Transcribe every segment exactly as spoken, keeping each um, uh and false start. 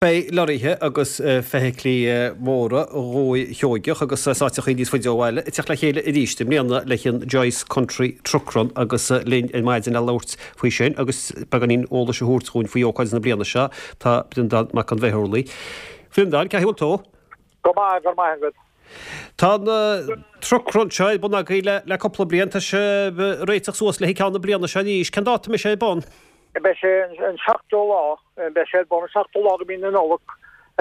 Beidh lorraithe agus feithiclí móra Dhúiche Sheoigeach agus áiteachaí níos faide ó bhaile ag teacht le chéile arís i mbliana le an Joyce Country Truck Run agus linn ar maidin le labhairt faoi sin agus beagáinín eolais a thabhairt dúinn faoi ócáid na bliana seo tá Breandán Mac an Bheithurlaí. Bhreandáin, cén chaoi a bhfuil tú? Go maith go maith agat. Tá an truck run seo ar bun agaibh le le cúpla bliain tá sé réiteach suas le ceann na bliana seo arís, cén dáta a mbeidh sé ar bun? Beidh sé an seachtú lá, beidh sé ar bun an seachtú lá de mhí na Nollag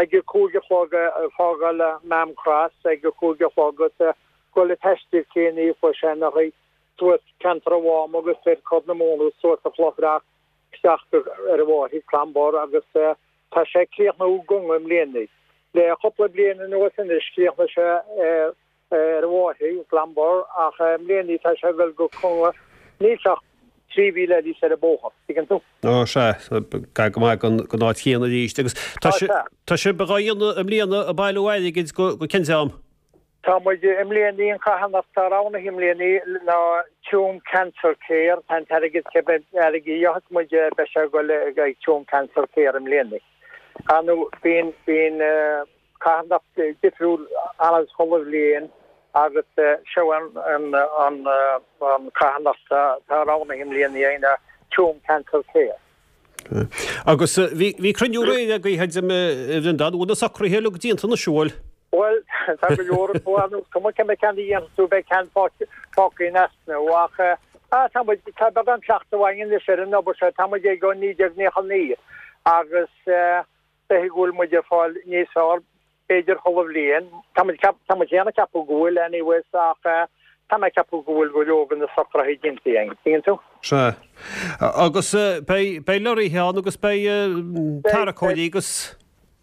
ag a cúig a chlog ag fágáil Maam Cross ag a cúig a chlog agus dul ag taisteal céiní faoi seanchaí suas ceantar an Mháma agus ar Chorr na Móna suas an Chlochrach isteach ar an bhFáirche Clambar agus tá sé ag críochnú i gConga i mbliana. Le cúpla bliain anuas anois chríochnaigh sé ar an bhFáirche, Clambar, ach i mbliana tá sé ag dul go Conga. Níl sé ach trí mhíle eile ar an bóthar, tuigeann tú. Ó sea, gar go maith don áit chéanna arís. Agus tá tá sibh dhá dhéanamh i mbliana ag bailiú airgid go go cén dream? Tá muid i mbliana an carthanacht atá roghnaithe i mbliana ná Tuam Cancer Care, tá an t-airgead cibé airgead a gheobhas muid beidh sé ag dul ag Tuam Cancer Care i mbliana. Ar ndóigh bíonn bíonn carthanacht difriúil ann chuile bhliain agus seo an an an carthanacht atá roghnaithe i mbliana againn ná Tuam Cancer Care. Agus bhí bhí cruinniú aréir agaibh a Bhreandáin, bhfuil na socruithe uilig déanta anois, an bhfuil? Bhuel, tá go leor acu ann, is cuma cé mhéad ceann a dhéanfas tú beidh ceann fágtha in easnamh ach tá muid, tá beagán cleachtadh againn anois ar an obair seo, tá muid ag ó naoi déag nócha naoi agus b'fhéidir go bhfuil muid ag fáil níos fearr b'fhéidir chuile bhliain. Tá muid tá muid féin ag ceapadh go bhfuil anyways ach tá mé ag ceapadh go bhfuil go leor de na socruithe déanta againn, tuigeann tú? Sea. Agus beidh beidh lorraithe ann agus beidh tarracóirí agus.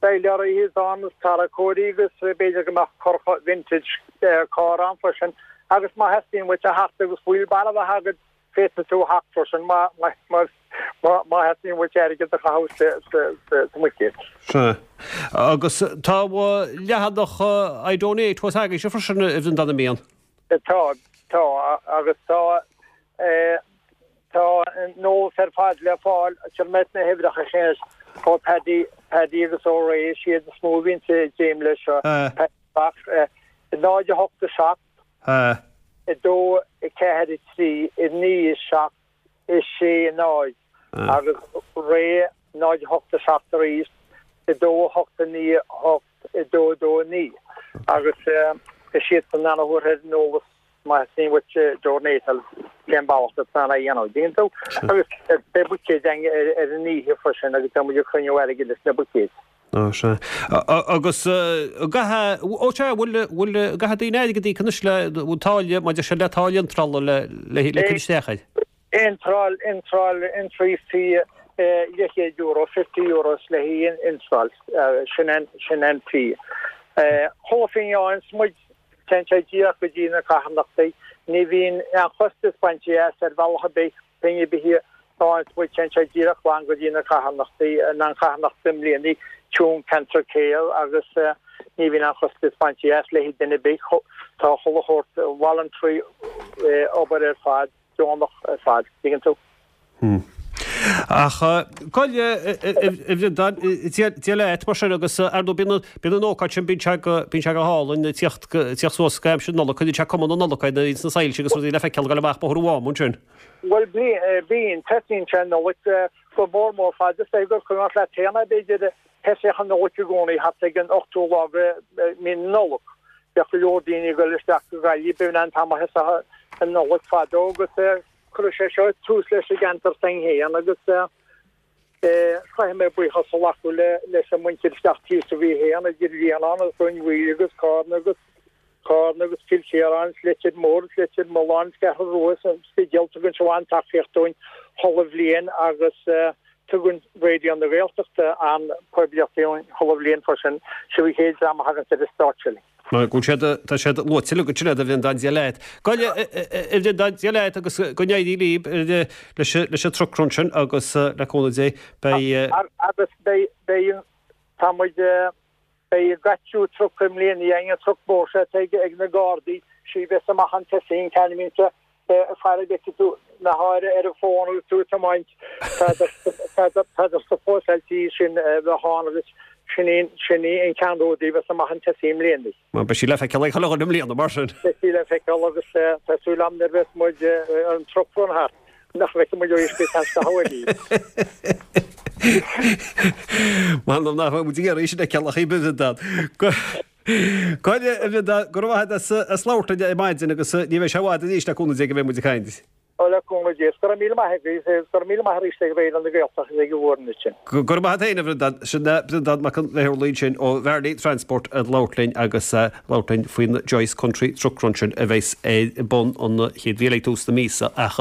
Beidh lorraithe ann agus tarracóirí agus b'fhéidir go mbeadh corr vintage carr ann freisin agus má theastaíonn uait a theacht agus wheelbarrow a bheith agat féadfaidh tú a theacht freisin má má theastaíonn uait airgead a chaitheamh sa mbuicéad. Sea. Agus tá leathanach I Donate thuas agaibhse freisin a Bhreandáin, an mbíonn? Tá, tá agus tá tá an t-eolas ar fad le fáil sar mbeidh na huimhreacha sin ó Paddy Paddy agus ó Ray is iad is mó a bhíonn ag déileáil leis seo. Paddy náid a hocht a seacht. a dó, a ceathair, a trí, a naoi, a seacht, a sé, a náid agus Ray náid a hocht a seacht arís, a dó, a hocht, a naoi, a hocht, a dó, a dó, a naoi agus is iadsan a thabharfaidh an t-eolas má theastaíonn uait donate cén bealach atá ann a dhéanamh. Tuigeann tú? Agus beidh buicéid againn ar an oíche freisin agus tá muid ag cruinniú airgid leis na buicéid. Ó sea. Agus gcaithfidh, ó sea, bhfuil, bhfuil, gcaithfidh daoine airgead a íoc anois le, bhfuil táille, maidir sé le táille iontrála le, le, le cur isteach air? Iontráil, iontráil, entry fee leathchéad euro, fifty euros le haghaidh iontráil, sin an, sin an fee. Chuile phingin a fhaigheanns muid, téann sé díreach go dtí na carthanachtaí. Ní bhíonn aon chostas bainte as ar bhealach ar bith. Pingin ar bith a fhaigheanns muid téann sé díreach glan go dtí na carthanachtaí, an charthanacht i mbliana, Tuam Cancer Care agus ní bhíonn aon chostas bainte as le haghaidh duine ar bith. Tá chuile shórt voluntary obair ar fad, deonach ar fad, tuigeann tú. Ach gabh i leith, a Bhreandáin, Dia leat mar sin agus ar ndóigh bíonn bíonn an ócáid sin, bíonn sé go bíonn sé go hálainn ag tíocht tíocht suas go aimsir na Nollag, cuireann sé cuma na Nollag air ins na soilse agus rudaí le feiceáil ag dul amach Bóthar an Mháma ansin. Bhuel bíonn, tosaíonn sé an Nollaig go mór mór fad is é gur cuimhneach leat féin é b'fhéidir thosaíodh an Nollaig i gcónaí thart ag an ochtú lá de mhí na Nollag. Bheadh go leor daoine ag dul isteach go Gaillimh, b'in an t-am a thosaíodh an Nollaig fadó agus Cuireadh sé seo tús leis i gceantar s'againn féin agus caithfidh mé buíochas a ghlacadh leis an muintir isteach thíos sa Mhí féin, idir Bhrianán agus Rinn Mhaoile agus Cárna agus Cárna agus Cill Chiaráin is Leitir Móir is Leitir Mealláin is Ceathrú Rua is an Spidéal, tugann sibh an-tacaíocht dúinn chuile bhliain agus tugann Raidió na Gaeltachta an-phoiblíocht dúinn chuile bhliain freisin, sibh an chéad dream a thaganns ar an stáitse linn. Mar go bhfuil siad, tá siad luaite uilig ansin a Bhreandáin, Dia leat. Gabh i leith, a Bhreandáin, Dia leat agus go n-éirí libh leis leis an truck run sin agus le cúnamh Dé beidh. Agus beidh, beidh, tá muid, beidh GATU truck i mbliana againn, an truck mór seo atá ag na Gardaí, sí a bheas amach chun tosaigh, an ceann a bhíonns ag faire go bhfeicfidh tú na háire ar an bhfón agus tú ag tiomáint, tá tá tá supposáilte sin a bheith ann agus Sin í sin í an ceannródaí a bheas amach an tosaí i mbliana. Mar beidh sí le feiceáil ag chuile dhuine i mbliana, mar sin. Beidh sí le feiceáil agus tá súil agam nuair a bheas muid an truck run thart nach bhfeicfidh muid arís go ceann scaitheamh eile í. M'anam nach mbeidh muid ag iarraidh í sin a fheiceáil ach í Bhreandán. Go raibh, a Bhreandáin, go raibh maith agat as labhairt linn ar maidin agus ní bheidh sé i bhfad arís le cúnamh Dé go mbeidh muid ag caint. Ó, le cúnamh Dé. Go raibh míle maith agaibh, agus go raibh míle maith arís ag Raidió na Gaeltachta agus ag an bhfoireann ansin. Go raibh maith agat féin, a Bhreandáin. Sin Breandán Mac an Bheithúrlaigh ansin ó Bhearnaí Transport ag labhairt linn agus ag labhairt linn faoin Joyce Country Truck Run sin a bheas ar bun an chéad mhí eile ag tús na míosa. Ach.